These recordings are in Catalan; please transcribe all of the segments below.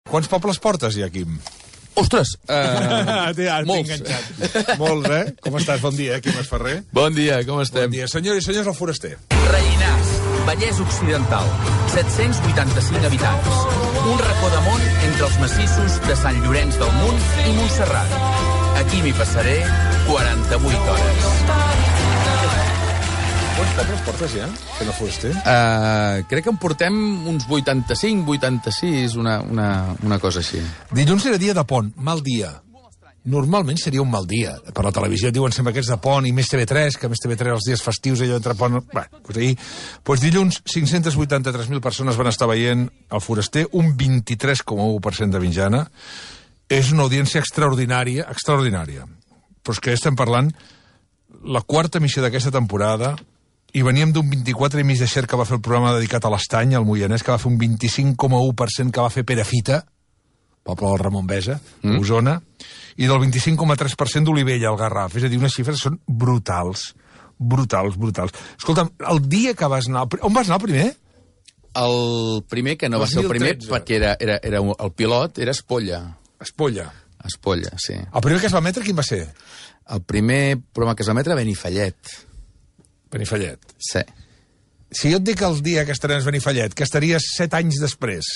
Quants pobles portes ja, Quim? Ostres! Molts. Molts, eh? Com estàs? Bon dia, Quim Esferrer. Bon dia, com estem? Bon dia. Senyors i senyors, el Foraster. Rellinars, Vallès Occidental, 785 habitants. Un racó de món entre els massissos de Sant Llorenç del Munt i Montserrat. Aquí m'hi passaré 48 hores. Quants pobles portes ja, fent el Foraster? Crec que en portem uns 85, 86, una cosa així. Dilluns era dia de pont, mal dia. Normalment seria un mal dia. Per la televisió diuen sempre que és de pont i més TV3, que més TV3 els dies festius allò entre pont... Bé, doncs ahir... Doncs dilluns 583.000 persones van estar veient el Foraster, un 23,1% de mitjana. És una audiència extraordinària, extraordinària. Però és que estem parlant la quarta emissió d'aquesta temporada i veníem d'un 24,5% de Xer que va fer el programa dedicat a l'Estany, al Moianès, que va fer un 25,1% que va fer Perafita, poble del Ramon Besa, Osona, i del 25,3% d'Olivella, al Garraf. És a dir, unes xifres són brutals. Brutals, brutals. Escolta'm, el dia que vas anar... On vas anar el primer? El primer, que no va ser el primer, perquè era el pilot, era Espolla. Espolla. Espolla, sí. El primer que es va emetre, quin va ser? El primer programa que es va emetre, Benifallet. Benifallet. Sí. Si jo et dic el dia que estrenes Benifallet, que estaries 7 anys després,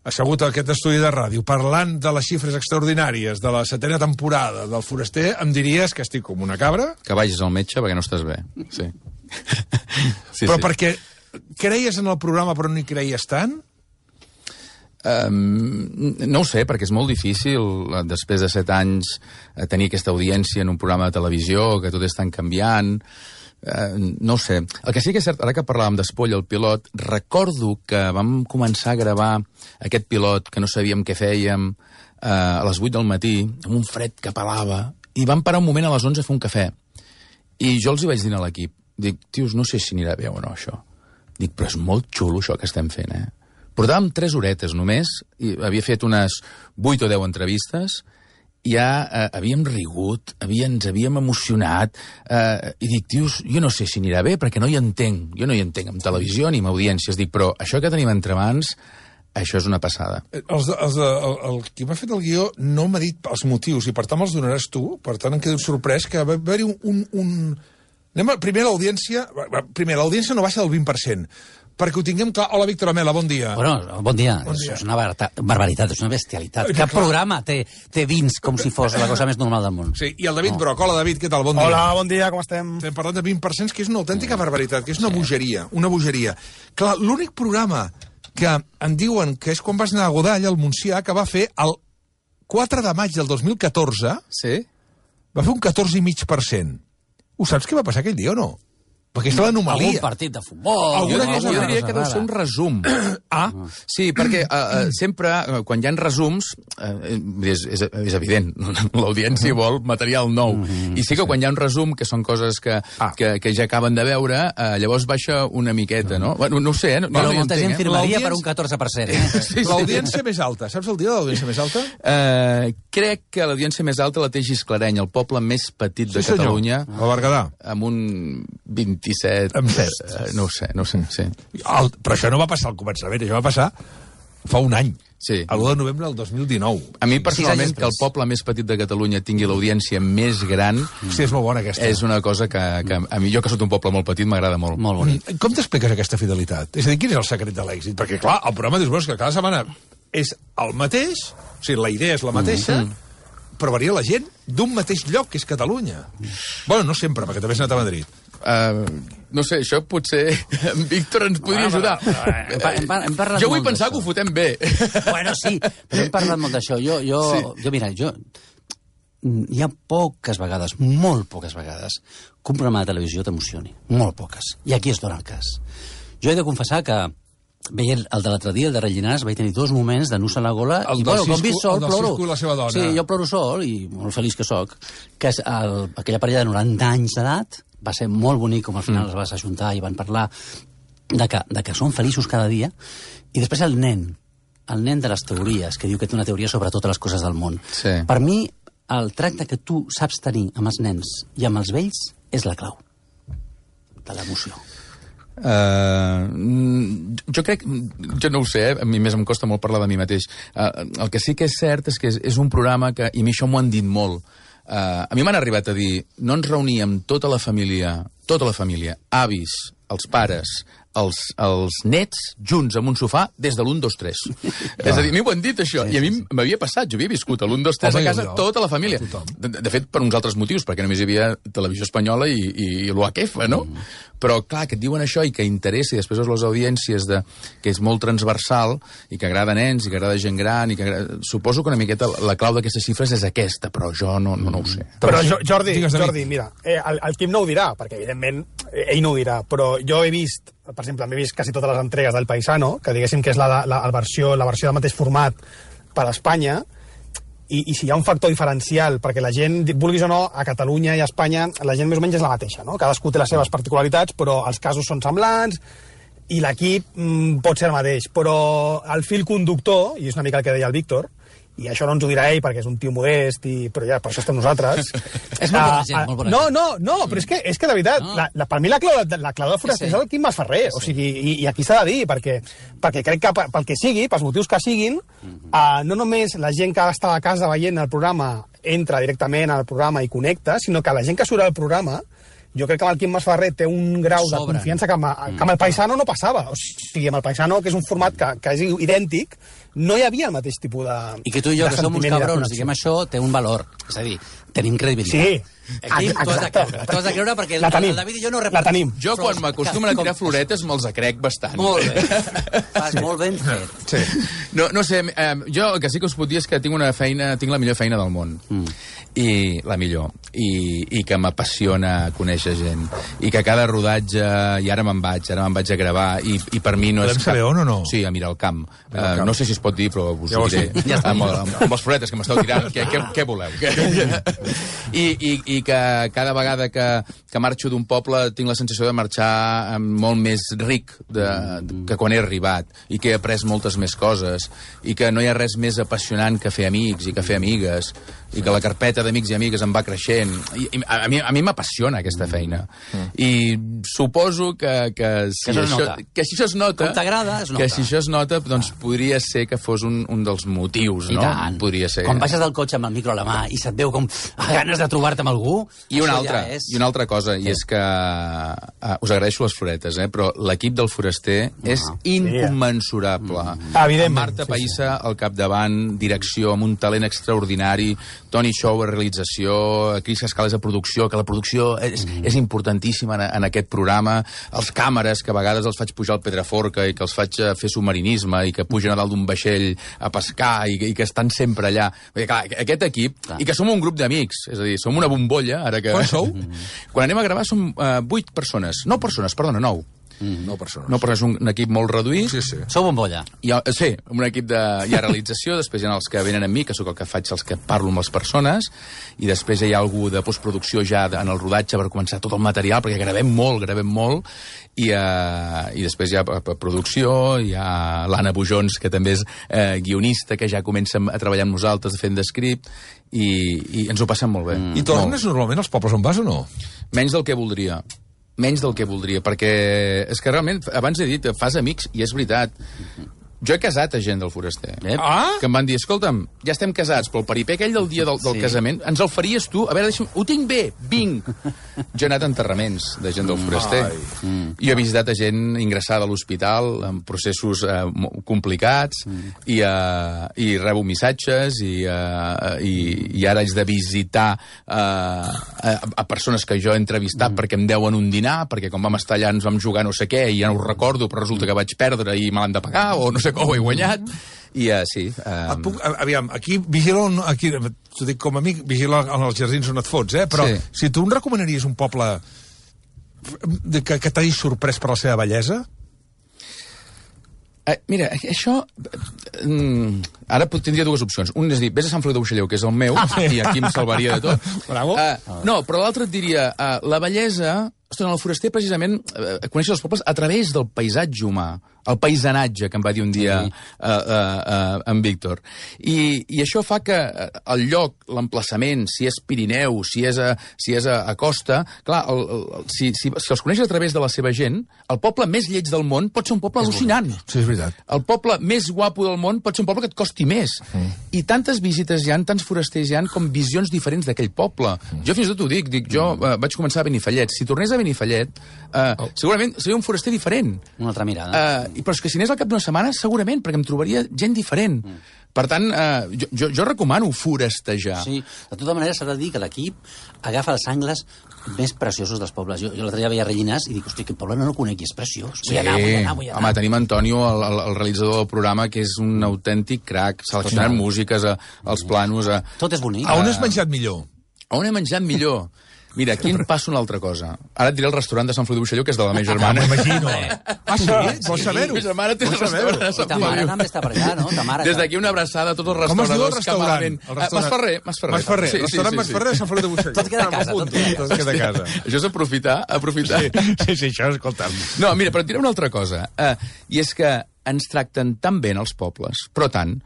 assegut a aquest estudi de ràdio, parlant de les xifres extraordinàries de la 7a temporada del Foraster, em diries que estic com una cabra? Que vagis al metge perquè no estàs bé. Sí. Però perquè creies en el programa però no hi creies tant? No ho sé, perquè és molt difícil, després de 7 anys, tenir aquesta audiència en un programa de televisió, que tot és tan canviant. No ho sé. El que sí que és cert, ara que parlàvem d'Espolla, el pilot, recordo que vam començar a gravar aquest pilot, que no sabíem què fèiem, a les 8 del matí, amb un fred que pelava, i vam parar un moment a les 11 a fer un cafè. I jo els hi vaig dir a l'equip, dic, tios, no sé si anirà bé o no, això. Dic, però és molt xulo això que estem fent, eh? Portàvem 3 horetes només, i havia fet unes 8 o 10 entrevistes, i ja havíem rigut, ens havíem emocionat, i dic, tios, jo no sé si anirà bé, perquè no hi entenc. Jo no hi entenc en televisió ni en audiències. Dic, però això que tenim entre mans, això és una passada. El qui m'ha fet el guió no m'ha dit els motius, i per tant me'ls donaràs tu, per tant em quedo sorprès que va haver-hi Primer, l'audiència no baixa del 20%. Perquè ho tinguem clar. Hola, Víctor Amela, bon dia. Bueno, bon dia. Això és una barbaritat, és una bestialitat. Cap programa té 20 com si fos la cosa més normal del món. Sí, i el David Broc. Hola, David, què tal? Bon dia. Hola, bon dia, com estem? Estem parlant de 20%, que és una autèntica barbaritat, que és una bogeria, una bogeria. Clar, l'únic programa que em diuen que és quan vas anar a Godall, al Montsià, que va fer el 4 de maig del 2014, sí? Va fer un 14,5%. Ho saps què va passar aquell dia o no? Perquè és l'anomalia. Algun partit de futbol... Jo diria que deu ser un resum. Sí, perquè sempre, quan hi ha resums, és evident, l'audiència vol material nou. I sí que quan hi ha un resum, que són coses que ja acaben de veure, llavors baixa una miqueta, no? Bueno, no ho sé, no però hi molta gent entenc, firmaria per un 14%. L'audiència més alta. Saps el dia de l'audiència més alta? Crec que l'audiència més alta la té Gisclareny, el poble més petit de Catalunya. El Berguedà. Amb un 27... No ho sé, sí. Però això no va passar al començament, això va passar fa un any. Sí. El 1 de novembre del 2019. A mi, personalment, que el poble més petit de Catalunya tingui l'audiència més gran... Sí, és molt bona, aquesta. És una cosa que a mi, jo que soc un poble molt petit, m'agrada molt. Molt bonic. Com t'expliques aquesta fidelitat? És a dir, quin és el secret de l'èxit? Perquè, clar, el programa dius, que cada setmana és el mateix, o sigui, la idea és la mateixa, però varia la gent d'un mateix lloc, que és Catalunya. Bueno, no sempre, perquè també has anat a Madrid. No sé, això potser en Víctor ens podria ajudar. Jo vull pensar que ho fotem bé. Bueno, sí, però hem parlat molt d'això. Mira, hi ha poques vegades, molt poques vegades, que un programa de televisió t'emocioni. Molt poques. I aquí es dona el cas. Jo he de confessar que veient el de l'altre dia, el de Rellinars, vaig tenir 2 moments de nus a la gola. El del Cisco i la seva dona. Sí, jo ploro sol, i molt feliç que soc, que és aquella parella de 90 anys d'edat. Va ser molt bonic com al final es vas ajuntar i van parlar de que són feliços cada dia. I després el nen de les teories, que diu que té una teoria sobre totes les coses del món. Sí. Per mi, el tracte que tu saps tenir amb els nens i amb els vells és la clau de l'emoció. Jo crec, jo no ho sé, a mi més em costa molt parlar de mi mateix. El que sí que és cert és que és un programa que, i a mi això m'ho han dit molt, a mi m'han arribat a dir, no ens reuníem tota la família, avis, els pares, els nets, junts en un sofà, des de l'1, 2, 3. És a dir, a mi ho han dit, això, i a mi m'havia passat, jo havia viscut l'1, 2, 3 a casa, tota la família. De fet, per uns altres motius, perquè només hi havia televisió espanyola i l'UHF, no? Però, clar, que et diuen això i que interessa, i després les audiències que és molt transversal i que agrada nens i que agrada gent gran, suposo que una miqueta la clau d'aquestes xifres és aquesta, però jo no ho sé. Però Jordi, mira, el Quim no ho dirà, perquè evidentment ell no ho dirà, però jo he vist, per exemple, m'he vist quasi totes les entregues del Paisano, que diguéssim que és la versió del mateix format per a Espanya, i si hi ha un factor diferencial, perquè la gent, vulguis o no, a Catalunya i a Espanya, la gent més o menys és la mateixa, no? Cadascú té les seves particularitats, però els casos són semblants, i l'equip pot ser el mateix. Però el fil conductor, i és una mica el que deia el Víctor, i això no ens ho dirà ell perquè és un tio modest, però ja, per això estem nosaltres. És molt bona gent, molt bona gent. No, però és que de veritat, per mi la clau del foraster és el Quim Masferrer, o sigui, i aquí s'ha de dir, perquè crec que pel que sigui, pels motius que siguin, no només la gent que està a casa veient el programa entra directament al programa i connecta, sinó que la gent que surt al programa, jo crec que amb el Quim Masferrer té un grau de confiança que amb el Paisano no passava. O sigui, amb el Paisano, que és un format que és idèntic, no hi havia el mateix tipus de... I que tu i jo, que som uns cabrons, diguem això, té un valor. És a dir, tenim credibilitat. Sí. Aquí t'ho has de creure perquè el David i jo no la tenim. Jo, quan m'acostumen a tirar floretes, me'ls crec bastant. Molt bé. Fas molt ben fet. Sí. No sé, jo el que sí que us puc dir és que tinc la millor feina del món. I la millor. I que m'apassiona conèixer gent. I que cada rodatge... I ara me'n vaig a gravar. I per mi no és... Podem saber on o no? Sí, a mirar el camp. No sé si es pot dir, però us ho diré. Amb els floretes que m'esteu tirant. Què voleu? I que cada vegada que marxo d'un poble tinc la sensació de marxar molt més ric que quan he arribat, i que he après moltes més coses, i que no hi ha res més apassionant que fer amics i que fer amigues, i que la carpeta d'amics i amigues em va creixent. A mi m'apassiona aquesta feina. I suposo que si això es nota... Com t'agrada, es nota. Que si això es nota, doncs podria ser que fos un dels motius, no? I tant. Podria ser. Quan baixes del cotxe amb el micro a la mà i se't veu com ganes de trobar-te amb algú... I una altra cosa, i és que us agraeixo les floretes, però l'equip del Foraster és incommensurable. Evidentment. Marta Païssa al capdavant, direcció, amb un talent extraordinari, Toni Show a realització, Cris Cascales a producció, que la producció és importantíssima en aquest programa, els càmeres, que a vegades els faig pujar al Pedraforca i que els faig fer submarinisme i que pugen a dalt d'un vaixell a pescar i que estan sempre allà. Perquè, clar, aquest equip, i que som un grup d'amics, és a dir, som una bombolla, ara que... Quan sou? Quan anem a gravar som 8 persones. 9 persones, perdona, 9. 9 persones. 9 persones, un equip molt reduït. Sí. Sou bombolla. Sí, un equip hi ha realització, després hi ha els que venen amb mi, que sóc el que faig, els que parlo amb les persones, i després hi ha algú de postproducció ja en el rodatge per començar tot el material, perquè gravem molt, i després hi ha producció, hi ha l'Anna Bujons, que també és guionista, que ja comença a treballar amb nosaltres fent d'escript, i ens ho passem molt bé. I tornes normalment als pobles on vas o no? Menys del que voldria, perquè és que realment, abans he dit, fas amics, i és veritat. Jo he casat a gent del Foraster. Que em van dir, escolta'm, ja estem casats, però el peripé aquell del dia del casament, ens el faries tu? A veure, ho tinc bé, vinc. Jo he anat a enterraments de gent del Foraster. I he visitat a gent ingressada a l'hospital, en processos complicats, i rebo missatges, i ara haig de visitar a persones que jo he entrevistat perquè em deuen un dinar, perquè quan vam estar allà ens vam jugar no sé què, i ja no ho recordo, però resulta que vaig perdre i me l'han de pagar, o no sé com ho he guanyat, i sí. Aviam, aquí vigila, t'ho dic com a amic, vigila en els jardins on et fots, però si tu em recomanaries un poble que t'hagi sorprès per la seva bellesa? Mira, això... Ara tindria dues opcions. Un és dir, vés a Sant Feliu de Buixalleu, que és el meu, i aquí em salvaria de tot. Bravo. No, però l'altre et diria, la bellesa... Ostres, en el Foraster, precisament, coneixes els pobles a través del paisatge humà. el paisatge, que em va dir un dia en Víctor. I això fa que el lloc, l'emplaçament, si és Pirineu, si és a costa, clar, si els coneixes a través de la seva gent, el poble més lleig del món pot ser un poble al·lucinant. Sí, és veritat. El poble més guapo del món pot ser un poble que et costi més. I tantes visites hi ha, tants forasters hi ha, com visions diferents d'aquell poble. Jo fins i tot ho dic, jo vaig començar a Benifallet. Si tornés a Benifallet, segurament seria un foraster diferent. Una altra mirada. Però és que si anés al cap d'una setmana, segurament, perquè em trobaria gent diferent. Per tant, jo recomano forestejar. Sí, de tota manera s'ha de dir que l'equip agafa els angles més preciosos dels pobles. Jo l'altre dia veia Rellinars i dic, hosti, aquest poble no el conec i és preciós. Vull anar. Home, tenim Antonio, el realitzador del programa, que és un autèntic crac, seleccionant músiques, els planos... Tot és bonic. A on has menjat millor? A on he menjat millor? Mira, aquí em passa una altra cosa. Ara et diré el restaurant de Sant Feliu de Buixalló, que és de la meva germana. M'imagino. Ah, sí? Vols saber-ho? La meva germana té el restaurant de Sant Ta mare també està per allà, no? Des d'aquí una abraçada a tots els Com es diu el restauradors. restaurant? Masferrer. Restaurant Masferrer de Sant Feliu de Buixalló. Tot queda a casa, Tot queda a casa. Això és aprofitar. Sí, això, escolta'm. No, mira, però et diré una altra cosa. I és que ens tracten tan bé en els pobles, però tant...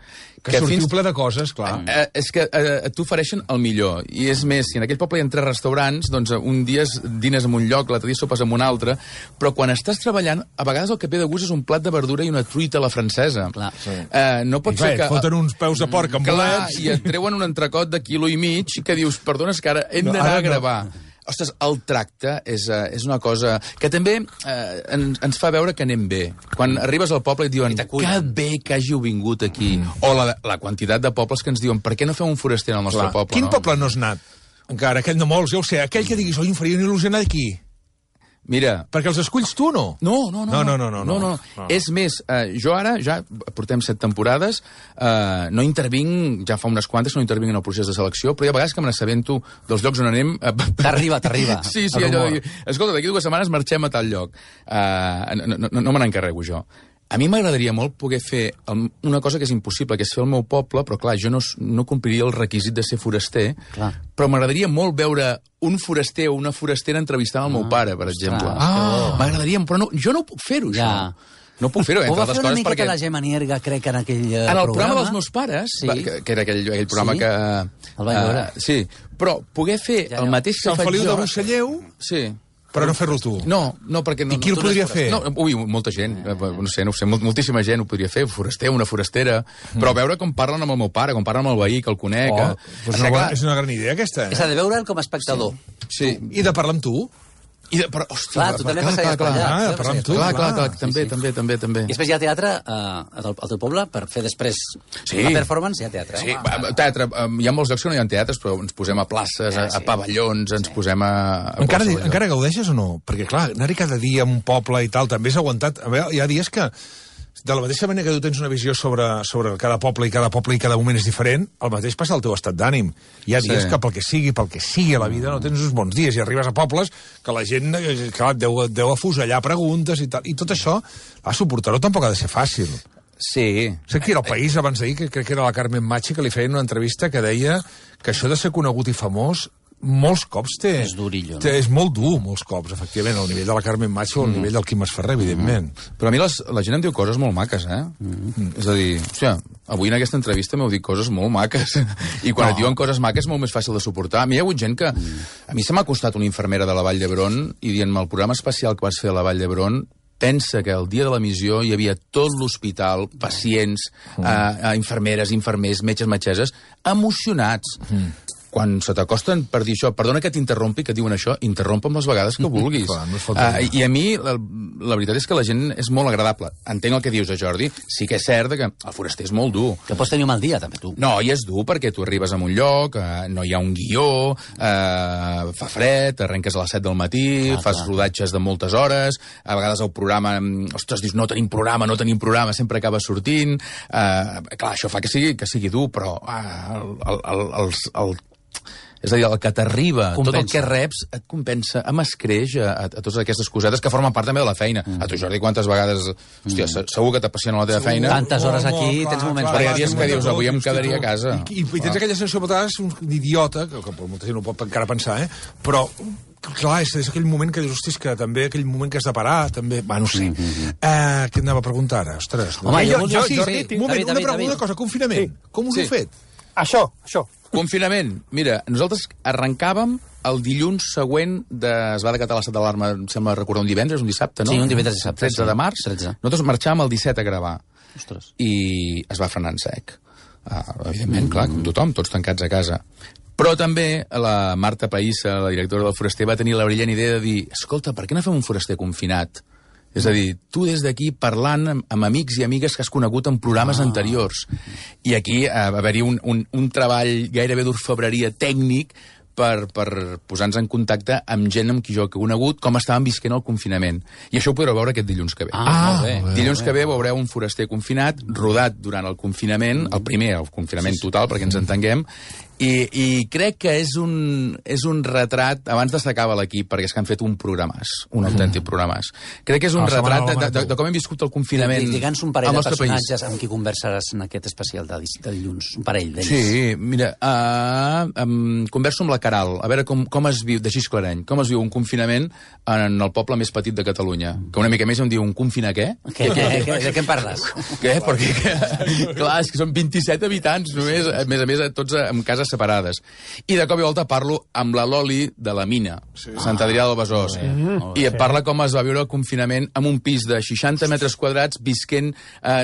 Que sortiu ple de coses, clar. És que t'ofereixen el millor. I és més, si en aquell poble hi ha 3 restaurants, doncs un dia dines en un lloc, l'altre dia sopes en un altre, però quan estàs treballant, a vegades el que ve de gust és un plat de verdura i una truita a la francesa. Clar. No pot ser que... Et foten uns peus de porc amb bolets... I et treuen un entrecot de 1,5 quilos que dius, perdona, és que ara hem d'anar a gravar. Ostres, el tracte és una cosa que també ens fa veure que anem bé. Quan arribes al poble i et diuen que bé que hàgiu vingut aquí. O la quantitat de pobles que ens diuen per què no fem un foraster al nostre poble? Quin poble no has anat? Encara, aquell no molts, ja ho sé. Aquell que diguis, oi, em faria una il·lusió anar aquí. Mira... Perquè els esculls tu o no? No. És més, jo ara, ja portem 7 temporades, no intervinc, ja fa unes quantes, no intervinc en el procés de selecció, però hi ha vegades que me n'assabento dels llocs on anem... T'arriba. Sí, allò de dir, escolta, d'aquí 2 setmanes marxem a tal lloc. No me n'encarrego jo. A mi m'agradaria molt poder fer una cosa que és impossible, que és fer el meu poble, però clar, jo no compliria el requisit de ser foraster, però m'agradaria molt veure un foraster o una forastera entrevistant el meu pare, per exemple. M'agradaria, però jo no puc fer-ho, això. No puc fer-ho, entre altres coses, perquè... Ho va fer una miqueta la Gemma Nierga, crec, en aquell programa. En el programa dels meus pares, que era aquell programa que... El vaig veure. Sí, però poder fer el mateix que faig jo... Sant Feliu de Buixalleu... Sí. Però no fer-lo tu. No, perquè... I qui el podria fer? Molta gent, no sé, moltíssima gent ho podria fer, foraster, una forastera, però veure com parlen amb el meu pare, com parlen amb el veí, que el conec... És una gran idea, aquesta. És a de veure'l com a espectador. Sí. I de parlar amb tu? Però, hòstia, tu també passaries per allà. De parlar amb tu. Clar, també. I després hi ha teatre al teu poble per fer després la performance, hi ha teatre. Sí, teatre. Hi ha molts llocs que no hi ha teatres, però ens posem a places, a pavellons, ens posem a... Encara gaudeixes o no? Perquè, clar, anar-hi cada dia a un poble i tal, també és aguantat. A veure, hi ha dies que... De la mateixa manera que tu tens una visió sobre cada poble i cada moment és diferent, el mateix passa al teu estat d'ànim. Hi ha dies que pel que sigui a la vida no tens uns bons dies i arribes a pobles que la gent deu afusellar preguntes i tal. I tot això, suportar-ho tampoc ha de ser fàcil. Sí. Sé que era al País abans d'ahir, que crec que era la Carmen Machi, que li feien una entrevista que deia que això de ser conegut i famós molts cops és durillo, no? És molt dur, molts cops, efectivament, al nivell de la Carmen Machi o al nivell del Quim Masferrer, evidentment. Però a mi la gent em diu coses molt maques, És a dir, hòstia, avui en aquesta entrevista m'heu dit coses molt maques. I quan et diuen coses maques és molt més fàcil de suportar. A mi hi ha hagut gent que... A mi se m'ha costat una infermera de la Vall d'Hebron i dient-me el programa especial que vas fer a la Vall d'Hebron, pensa que el dia de l'emissió hi havia tot l'hospital, pacients, infermeres, infermers, metges, metgesses, emocionats. Quan se t'acosten per dir això, perdona que t'interrompi, que diuen això, interrompa'm les vegades que vulguis. I a mi, la veritat és que la gent és molt agradable. Entenc el que dius, Jordi. Sí que és cert que el foraster és molt dur. Que pots tenir un mal dia, també, tu. No, i és dur perquè tu arribes a un lloc, no hi ha un guió, fa fred, arrenques a les 7 del matí, fas rodatges de moltes hores, a vegades el programa, ostres, dius, no tenim programa, sempre acaba sortint. Clar, això fa que sigui dur, però és a dir, el que t'arriba, tot el que reps, et compensa, m'escreix a totes aquestes cosetes que formen part també de la feina. A tu, Jordi, quantes vegades... Hòstia, segur que t'apassiona la teva feina. Tantes hores aquí, tens moments... Però hi ha dies que dius, avui em quedaria a casa. I tens aquella sensació, per un idiota, que molta gent no pot encara pensar, però Clar, és aquell moment que dius, hòstia, que també aquell moment que has de parar, també... Va, no sé. Què anava a preguntar ara? Ostres. Home, sí, un moment, una cosa, confinament. Com us heu fet? Això. Confinament. Mira, nosaltres arrencàvem el dilluns següent es va decatar l'estat d'alarma, em sembla recordar un divendres, un dissabte, no? Sí, un divendres dissabte. 13 de març. 13. Nosaltres marxàvem el 17 a gravar. Ostres. I es va frenar en sec. Evidentment, clar, com tothom, tots tancats a casa. Però també la Marta Païssa, la directora del Foraster, va tenir la brillant idea de dir, escolta, per què no fem un foraster confinat? És a dir, tu des d'aquí parlant amb amics i amigues que has conegut en programes anteriors. I aquí va haver-hi un treball gairebé d'orfebreria tècnic per posar-nos en contacte amb gent amb qui jo he conegut, com estàvem visquent el confinament. I això ho podreu veure aquest dilluns que ve. Molt bé. Dilluns que ve veureu un foraster confinat, rodat durant el confinament, el primer, el confinament total, perquè ens entenguem, i crec que és un retrat, abans destacava l'equip, perquè és que han fet un programàs, un autèntic programàs. Crec que és un retrat de com hem viscut el confinament. Digue'ns un parell de personatges amb qui conversaràs en aquest especial de dilluns, un parell d'ells. Sí, mira, converso amb la Caral, a veure com es viu, de Xisclareny, com es viu un confinament en el poble més petit de Catalunya, que una mica més em diu un confina què? De què en parles? Què? Perquè, clar, és que són 27 habitants només, a més, tots en cases separades. I de cop i volta parlo amb la Loli de la Mina, Sant Adrià del Besòs, i et parla com es va viure el confinament en un pis de 60 metres quadrats, visquent,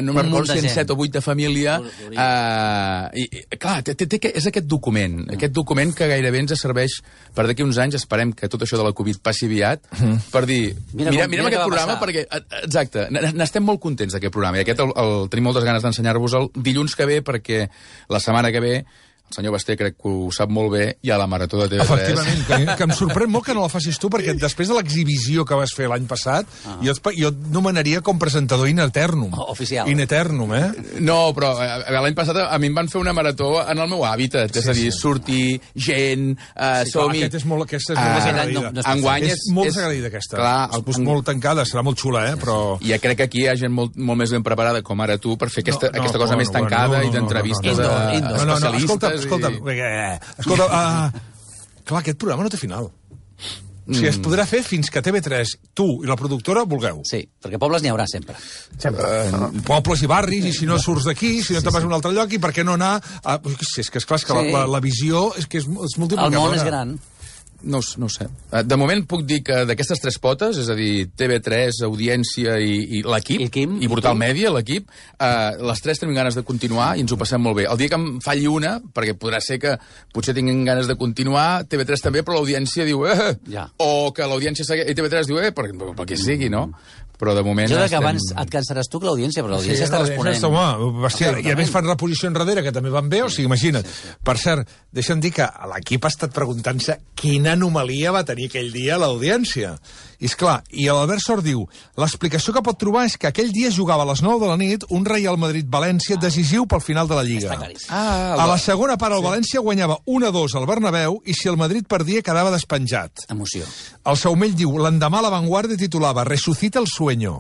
no me'n recordo si en 7 o 8 de família, i clar, és aquest document que gairebé ens serveix per d'aquí uns anys, esperem que tot això de la Covid passi aviat, per dir, mirem aquest programa, perquè, exacte, n'estem molt contents d'aquest programa, i aquest tenim moltes ganes d'ensenyar-vos-el dilluns que ve, perquè la setmana que ve el senyor Basté crec que ho sap molt bé, hi ha la Marató de TV3. Efectivament, que em sorprèn molt que no la facis tu, perquè després de l'exhibició que vas fer l'any passat, jo et nomenaria com presentador in eternum. Oficial. In eternum, No, però l'any passat a mi em van fer una marató en el meu hàbitat, és a dir, sortir, gent, som-hi... Aquesta és molt agraïda. Enguany és molt agraïda, aquesta. Clar, és molt tancada, serà molt xula, però... I crec que aquí hi ha gent molt més ben preparada, com ara tu, per fer aquesta cosa més tancada i d'entrevistes especialistes. Escolta, clar, aquest programa no té final. O sigui, es podrà fer fins que TV3, tu i la productora vulgueu. Sí, perquè pobles n'hi haurà sempre. Pobles i barris, i si no surts d'aquí, si no te'n vas a un altre lloc, i per què no anar... És que esclar, la visió és que és multiplicadora. El món és gran. No ho sé. De moment puc dir que d'aquestes tres potes, és a dir, TV3, Audiència i l'equip, i Brutal Mèdia, l'equip, les tres tenim ganes de continuar i ens ho passem molt bé. El dia que em falli una, perquè podrà ser que potser tinguin ganes de continuar, TV3 també, però l'Audiència diu o que l'Audiència i TV3 diu pel que sigui, no? Però de moment... Jo crec que abans et cansaràs tu que l'Audiència, però l'Audiència està responent. I a més fan reposició enrere, que també van bé, o sigui, imagina't. Per cert, deixa'm dir que l'equip ha estat preguntant-se quina anomalia va tenir aquell dia l'Audiència. I esclar, i l'Albert Sort diu, l'explicació que pot trobar és que aquell dia jugava a les 9 de la nit un Real Madrid-València decisiu pel final de la Lliga. A la segona part el València guanyava 1-2 al Bernabéu i si el Madrid perdia quedava despenjat. Emoció. El Saumell diu, l'endemà la Vanguardia titulava Resucita el sueño.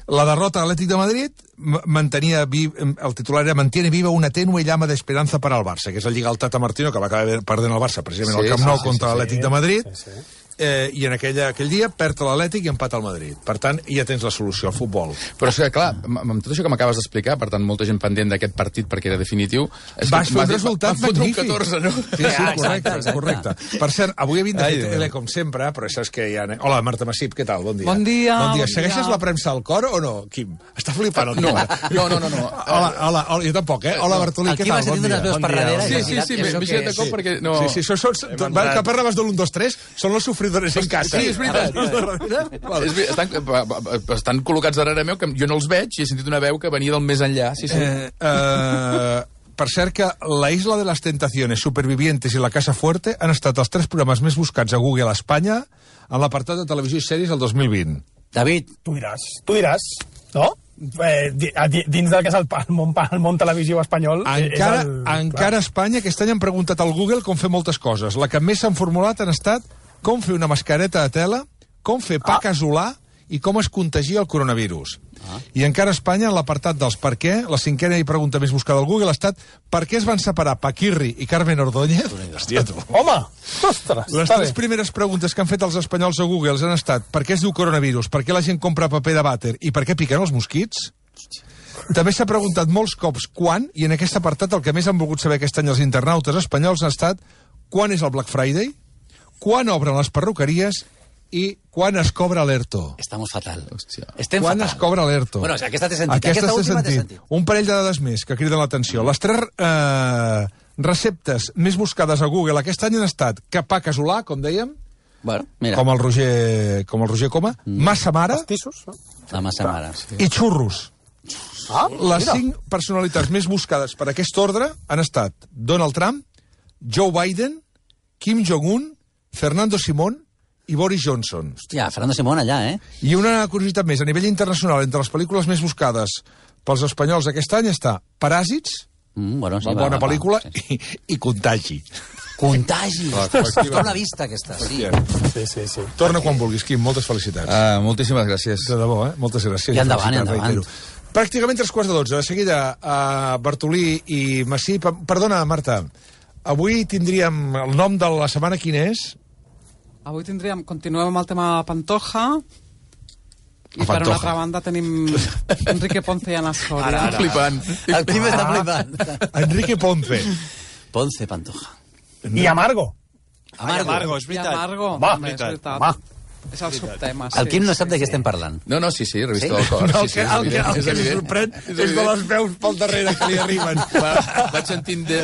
La derrota de l'Atlètic de Madrid el titular era mantiene viva una tenue llama d'esperança per al Barça, que és la Lliga al Tata Martino, que va acabar perdent el Barça precisament al Camp Nou contra l'Atlètic de Madrid. I en aquell dia perd l'Atlètic i empat al Madrid. Per tant, ja tens la solució al futbol. Però és que, clar, amb tot això que m'acabes d'explicar, per tant, molta gent pendent d'aquest partit perquè era definitiu... Vas fer un resultat magnífic. Un 14, no? Sí, correcte. Per cert, avui he vingut de tele com sempre, però saps que ja... Hola, Marta Massip, què tal? Bon dia. Bon dia. Segueixes la premsa al cor o no, Quim? Està flipant el Quim. No. Hola, jo tampoc, Hola, Bartolí, què tal? Bon dia. Sí, m'he girat de cop perquè... Sí, que parlaves de l'1, 2, 3, són els sofridores en casa. Sí, és veritat. Estan col·locats darrere meu, que jo no els veig, i he sentit una veu que venia del més enllà. Per cert que La Isla de las Tentaciones, Supervivientes i La Casa Fuerte han estat els 3 programes més buscats a Google a Espanya en l'apartat de televisió i sèries el 2020. David. Tu diràs, no? Dins del que és el món televisió espanyol... Encara a Espanya aquest any han preguntat al Google com fer moltes coses. La que més s'han formulat han estat com fer una mascareta de tela, com fer pa casolà i com es contagia el coronavirus. I encara a Espanya, en l'apartat dels per què, la cinquena i pregunta més buscada al Google ha estat per què es van separar Paquirri i Carmen Ordóñez? Hòstia, tu. Home! Ostres! Les tres primeres preguntes que han fet els espanyols a Google han estat per què es diu coronavirus, per què la gent compra paper de vàter i per què piquen els mosquits? També s'ha preguntat molts cops quan, i en aquest apartat el que més han volgut saber aquest any els internautes espanyols ha estat quan és el Black Friday, quan obren les perruqueries i quan es cobra l'ERTO. Estamos fatal. Hòstia. Estem Quan fatal. es cobra l'ERTO. Bueno, aquesta té sentit. Aquesta té última té sentit. Un parell de dades més que criden l'atenció. Les tres receptes més buscades a Google aquest any han estat capà casolà, com dèiem, Bueno, mira, com el Roger Coma, massa mare Pastissos, no? la massa mare. i xurros. Les mira. 5 personalitats més buscades per aquest ordre han estat Donald Trump, Joe Biden, Kim Jong-un, Fernando Simón i Boris Johnson. Hòstia, Fernando Simón allà, I una curiositat més, a nivell internacional, entre les pel·lícules més buscades pels espanyols aquest any està Paràsits, Bueno, sí, bona pel·lícula, sí. i Contagi. Contagi. Està una vista, aquesta. Sí. Sí. Torna quan vulguis, Quim, moltes felicitats. Moltíssimes gràcies. De debò, Moltes gràcies. I endavant, Felicitats, endavant. reitero. Pràcticament 3:15. De seguida, Bartolí i Massí. Perdona, Marta, avui tindríem el nom de la setmana, quin és? Avui continuem amb el tema Pantoja, i per una altra banda tenim Enrique Ponce i Ana Soria. Flipant. El Quim està flipant. Enrique Ponce. Ponce Pantoja. I Amargo. Amargo. és I veritat. Amargo, Va, també, és veritat. Va. És el subtema. El Quim no sap de què estem parlant. No, sí, revista Sí? del cor. No, Sí, sí, el que és li evident. sorprèn és de les veus pel darrere que li arriben. Vaig sentint de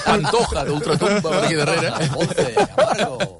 Pantoja d'Ultratumba per aquí darrere. Ponce, Amargo.